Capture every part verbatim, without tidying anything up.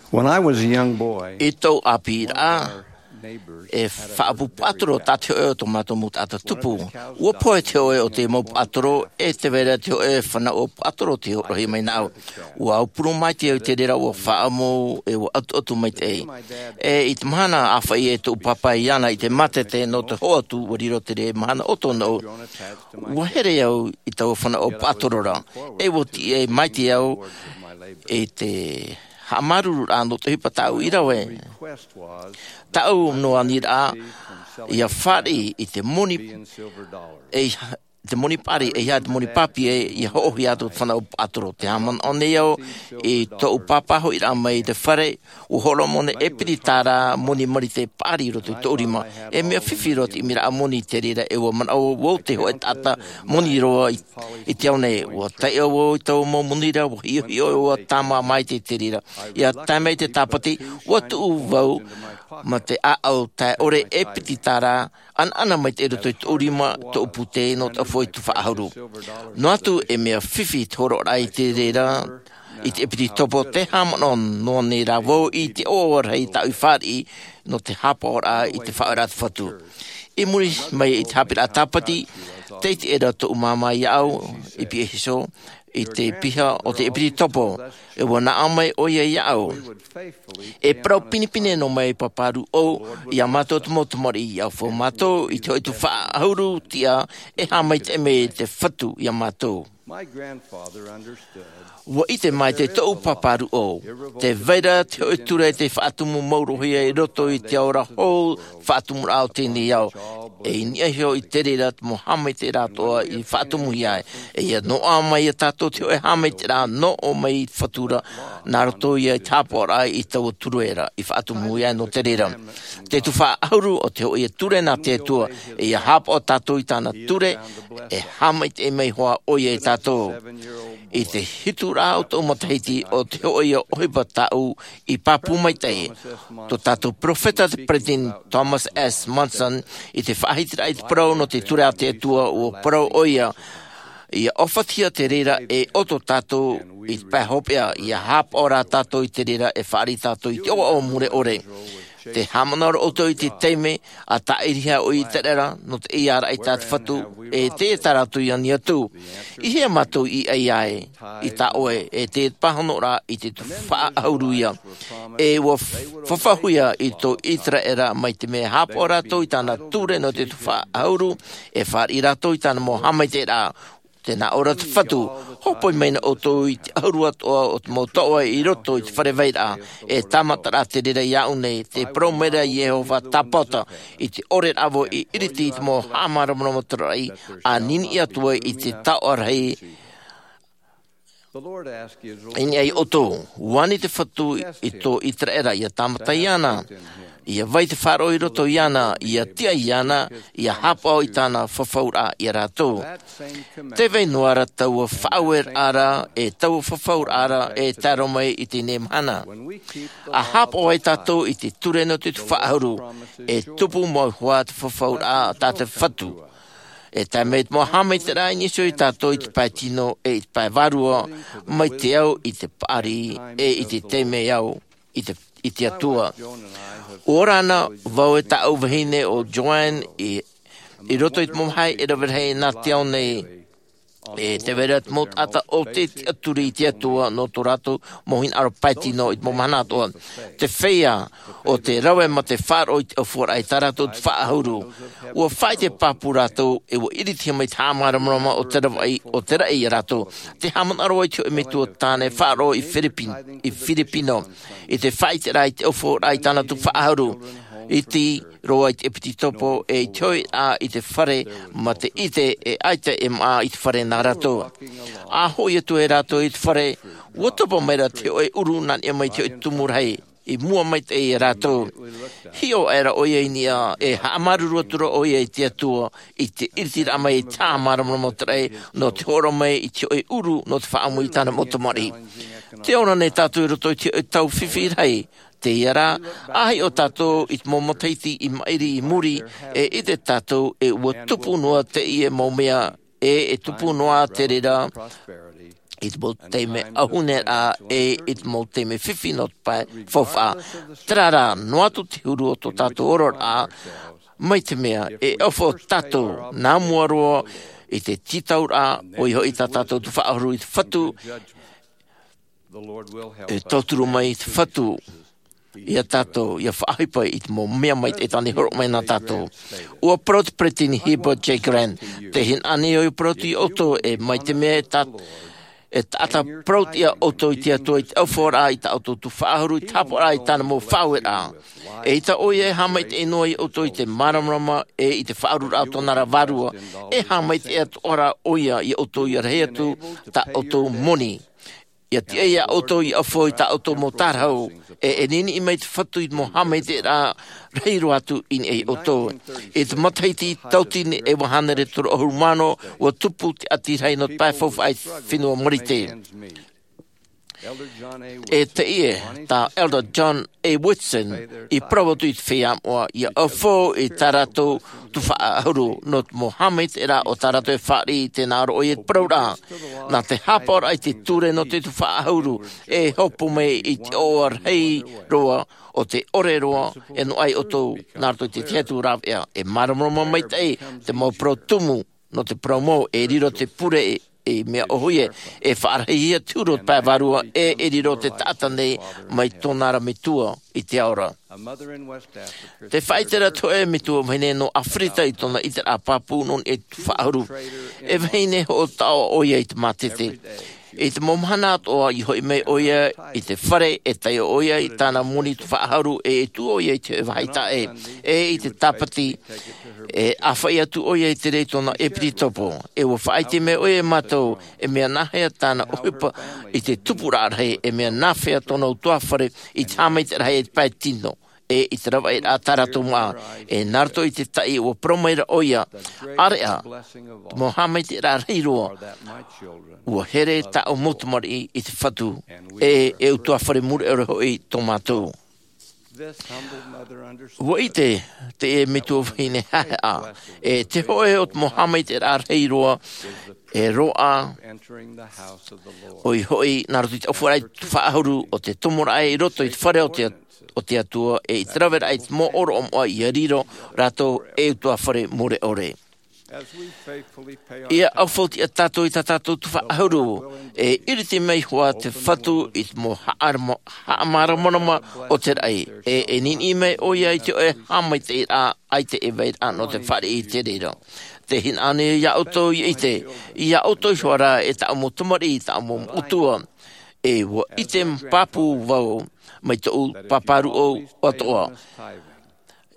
When I was a young boy, I tōʻu ʻāpīraʻa, e faʻaʻapu paʻatoro tā te hōʻē o tō mātou mau taʻata tupu. ʻUa pohe te hōʻē o te mau paʻatoro, e tē vai ra te hōʻē fānaʻo paʻatoro tei hōroʻahia mai nāʻu. ʻUa aupuru maitaʻi au i te reira, ʻua faʻaʻamu, e ʻua ʻatuʻatu maitaʻi. E i te mahana ʻāfaʻi e tōʻu pāpā iāna i te mātete nō te hoʻo atu, ʻua riro te reira mahana ʻo tōna ʻoʻu. ʻUa here au i taua fānaʻo paʻatoro ra, e ʻua tiʻa maitaʻi au i te haʻamāuruururaʻa nō te ʻohipa tāʻu i rave. Tāʻu noa aniraʻa, ʻia fāriʻi i te moni, e te moni paʻari, e ʻeiaha te moni pāpī, ʻia hoʻohia atu te fānaʻo paʻatoro. Tē haʻamanaʻo nei au i tōʻu pāpā hoʻiraʻa mai i te fare, ʻua hōroʻa mai ʻōna e piti tāra moni marite paʻari i roto i tōʻu rima. E mea fifi roa te ʻimiraʻa moni i te reira, e ʻua manaʻo vau te hōʻē taʻata moni roa i, i te ao nei. ʻUa taiʻo vau i taua mau moni ra, ʻua hiʻohiʻo, ʻua tāmā maitaʻi i te reira. ʻIa tae mai te tāpati, ʻua tuʻu vau ma te ʻāʻau tae ʻore e piti tāra, ʻanaʻana maitaʻi i roto i tōʻu rima, tōʻu pūtē, nō te ʻaufaʻa i te tuhaʻa ʻahuru. Noa atu e mea fifi te hōroʻaraʻa i te reira, i te ʻepitetopo, tē haʻamanaʻo noa nei rā vau i te ʻoaʻoa rahi tāʻu i fāriʻi nō te hāpaʻoraʻa i te faʻaʻoeʻraʻa a te Fatu. I muri mai i te haʻapiʻiraʻa tāpati, tē ʻite ra tōʻu māmā iāʻu, i Pīhaʻi Hiso, i te piha o te ʻepitetopo, e ʻua naʻo mai ʻoia iāʻu. E parau pinepine noa mai Pāpā Rūʻau iā mātou te mau tamariʻi, ʻia ʻaufau mātou i te hōʻē tuhaʻa ʻahuru tiʻa, e haʻamaitaʻi mai te Fatu iā mātou. ʻUa ʻite maitaʻi tōʻu Pāpā Rūʻau, tē vai ra te hōʻē ture tei faʻatumu mauruhia i roto i te ao ra hou, faʻatumuraʻa o teie ao. E i niʻa iho i te reira te mau haʻamaitaʻiraʻa atoʻa i faʻatumuhia ai. E ʻia noaʻa mai iā tātou te hōʻē haʻamaitaʻiraʻa nō ʻō mai i te Fatu ra, nā roto ia i te hāpaʻoraʻa i taua ture ra, i faʻatumuhia ai nō te reira. Te tuhaʻa ʻahuru o te hōʻē ture nā te Atua, e ʻia hāpaʻo tātou i tāna ture, e haʻamaitaʻi mai hoʻi ʻoia iā tātou. I te hitu ra o tōʻu matahiti, ʻo te hōʻē ʻohipa tāʻu i pāpū maitaʻi. Tō tātou peropheta te Peresideni Thomas S. Monson, i te faʻahitiraʻa i te parau nō te ture a te Atua, ʻua parau ʻoia, ʻia ʻōfaʻahia te reira e ʻoto tātou i te pae hopeʻa, ʻia hāpaʻo rā tātou i te reira e fāriʻi tātou i te ʻoaʻoa mure ʻore. Tē haʻamanaʻo ra ʻoutou i te taime a tāʻirihia ʻo ʻĪteraʻera nō te ʻeiāraʻa i tā te Fatu, e tē ʻite ra rātou i ani atu. I hea mātou i ʻai ai, i tā ʻoe, e te pāhonoraʻa i te tuhaʻa ʻahuru ia. E ʻua fafauhia i tō ʻĪteraʻera mai te mea e hāpaʻo rātou i tāna ture nō te tuhaʻa ʻahuru, e fāriʻi rātou i tāna mau haʻamaitaʻiraʻa. Tē nā ʻō ra te Fatu, hōpoi mai na ʻoutou i te ʻahuru atoʻa o te mau taoʻa i roto i te fare vairaʻa, e tāmata rā te reira iāʻu nei, tē parau mai ra Iehova Tāpaʻo, i te ʻore rā vau i ʻiriti i te mau haʻamāramarama taraʻi, ʻa niniʻi atu ai i te taoʻa rahi, i niʻa iā ʻoutou. ʻUa ani te Fatu i tō ʻĪteraʻera, ʻia tāmata iāna, ʻia vai te faʻaroʻo i roto iāna, ʻia tiʻa iāna, ʻia hāpaʻo i tāna fafauraʻa iā rātou. Tē vai noa ra taua faʻaueraʻa ra, e taua fafauraʻa ra, e tae roa mai i teie mahana. ʻA hāpaʻo ai tātou i te ture nō te tuhaʻa ʻahuru, e tupu mau hoʻi te fafauraʻa tā te Fatu. E tae mai te mau haʻamaitaʻiraʻa i niʻa iho ia tātou i te pae tino e i te pae vārua, mai te au i te paʻari, e i te taime au i te, i te Atua. ʻUa ora na vau e tāʻu vahine ʻo Joanne i, i roto i te mau vāhi e rave rahi nā te ao nei. E tē vai ra te mau taʻata ʻo tē tiʻaturi i te Atua nō tō rātou mau hinaʻaro pae tino i te mau mahana atoʻa. Te feiā, ʻo tē rave ma te faʻaroʻo i te ʻaufaʻaraʻa i tā rātou tuhaʻa ʻahuru. ʻUa faʻaʻite pāpū rātou, e ʻua ʻiritihia mai te haʻamāramarama o te ravaʻi, o te raʻi iā rātou. Tē haʻamanaʻo ra vau i te hōʻē metua tāne faʻaroʻo i Philippine, i Filipino. I te faʻaʻiteraʻa i te ʻaufaʻaraʻa i tāna tuhaʻa ʻahuru. Iti roa i te ʻepitetopo, e i te hoʻiraʻa i te fare, ma te ʻite e ʻaita e maʻa i te fare nā rātou. ʻA hoʻi atu ai rātou i te fare, ʻua topa mai ra te hōʻē ʻuru nā niʻa mai i te hōʻē tumu rahi, i mua maitaʻi iā rātou. Hiʻo aʻera ʻoia i niʻa, e haʻamāuruuru atu ra ʻoia i te Atua, i te ʻiritiraʻa mai i te haʻamāramarama o te raʻi, nō te hōroʻa mai i te hōʻē ʻuru, nō te faʻaʻamu i tāna mau tamariʻi. Tē ora nei tātou i roto i te hōʻē tau fifi rahi, teie rā, ʻa hiʻo tātou i te mau matahiti i maʻiri i muri, e ʻite tātou e ʻua tupu noa teie mau mea, e, e tupu noa te reira, i te mau taime ʻauhune rā, e i te mau taime fifi nō te pae faufaʻa. Terā rā, noa atu te huru o tō tātou ororaʻa, mai te mea e ʻaufau tātou nā mua roa i te tītauraʻa, ʻoia hoʻi tā tātou tufaʻahuru i te Fatu, e tauturu mai te Fatu ia tātou, ia faʻaʻohipa i te mau mea maitaʻi tāna i hōroʻa mai nā tātou. ʻUa parau te peresideni Heber J. Grant, tē hinaʻaro nei au ia parau atu ia ʻoutou, e mai te mea e tā-, e taʻata parau atu ia ʻoutou i te Atua i te ʻaufauraʻa i tā ʻoutou tufaʻahuru, i te haʻapaʻoraʻa i tāna mau faʻaueraʻa. ʻEita ʻoia e haʻamaitaʻi noa ia ʻoutou i te māramarama, e i te faʻaururaʻa o tōna ra vārua, e haʻamaitaʻi atoʻa ra ʻoia ia ʻoutou ia rahi atu tā ʻoutou moni. ʻIa tiʻa ia ʻoutou ia ʻaufau i tā ʻoutou mau tārahu, e, e niniʻi mai te Fatu i te mau haʻamaitaʻiraʻa rahi roa atu i niʻa ia ʻoutou. I te matahiti tauatini e iva hānere toru ʻahuru mā ono, ʻua tupu te ʻati rahi nō te pae faufaʻa i te fenua Marite. E teie tā Elder John A. Woodson i parau atu i te feiā moʻa, ia ʻaufau i tā rātou tufaʻahuru nō te mau haʻamaitaʻiraʻa o tā rātou e fāriʻi, tē nā ʻō ra ʻoia i te parauraʻa. Nā te haʻapaʻoraʻa i te ture nō te tufaʻahuru, e hopo mai i te ʻoaʻoa rahi roa o te ʻore roa e noaʻa ia ʻoutou nā roto i te tahi atu rāveʻa. E māramarama maitaʻi te mau parau tumu nō te parau mau, e riro te pure e, e mea ʻōhie, e faʻarahihia te huru o te pae vārua, e, e riro te taʻata nei mai tōna ra metua i te ao ra. Tē faʻaʻite ra te hōʻē metua vahine nō ʻĀfirita i tōna ʻiteraʻa pāpū nō niʻa i te tufaʻahuru. E vahine hoʻo taʻoa ʻoia i te mātete. I te mau mahana atoʻa i hoʻi mai ʻoia i te fare, e taiʻo ʻoia i tāna moni tufaʻahuru, e, e tuʻu ʻoia i te hōʻē vāhi taʻe, e i te tāpati, e ʻāfaʻi atu ʻoia i te reira i tōna ʻepitopo. E ʻua faʻaʻite mai ʻoia ia mātou, e mea nāhea tāna ʻohipa i te tupuraʻa rahi, e mea nāhea tōna ʻutuāfare i te haʻamaitaʻiraʻa rahi i te pae tino, e i te ravaʻiraʻa tā rātou māʻa, e nā roto i te taʻi ʻua parau mai ra ʻoia, ʻāreʻa te mau haʻamaitaʻiraʻa rahi roa, ʻua here tāʻu mau tamariʻi i te Fatu, e, e ʻutuāfare mure ʻore hoʻi tō mātou. ʻUa ʻite teie metua vahine haʻehaʻa, e te hōʻē o te mau haʻamaitaʻiraʻa rahi roa, e roaʻa, ʻoia hoʻi, nā roto i te ʻaufaraʻa i te tufaʻahuru, ʻo te tomoraʻa i roto i te fare o te, o te Atua, e i te raveraʻa i te mau ʻōroʻa moʻa ʻia riro rātou ei ʻutuāfare mure ʻore. ʻIa ʻaufau tiʻa tātou i tā tātou tufaʻahuru, e iriti mai hoʻi te Fatu i te mau haʻarama-, haʻamāramarama o te raʻi, e, e niniʻi mai ʻoia i te hōʻē haʻamaitaʻiraʻa ʻaita e vai ra nō te fāriʻi i te reira. Tē hinaʻaro nei au ia ʻoutou ʻia ʻite, ia ʻoutou iho ā rā e tāʻu mau tamariʻi, tāʻu mau metua, e ʻua ʻite pāpū vau mai tōʻu pāpāruʻau atoʻa.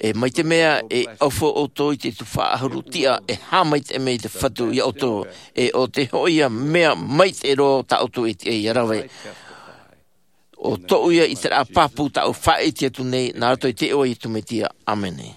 E mai te mea e ʻaufau ʻoutou i te tufaʻahuru tiʻa, e haʻamaitaʻi mai te Fatu ia ʻoutou, e ʻo te hōʻē mea maitaʻi roa tā ʻoutou e tiʻa ʻia rave. ʻO tōʻu ia ʻiteraʻa pāpū tāʻu faʻaʻite atu nei, nā roto i te iʻoa o Iesu Mesia. ʻĀmene.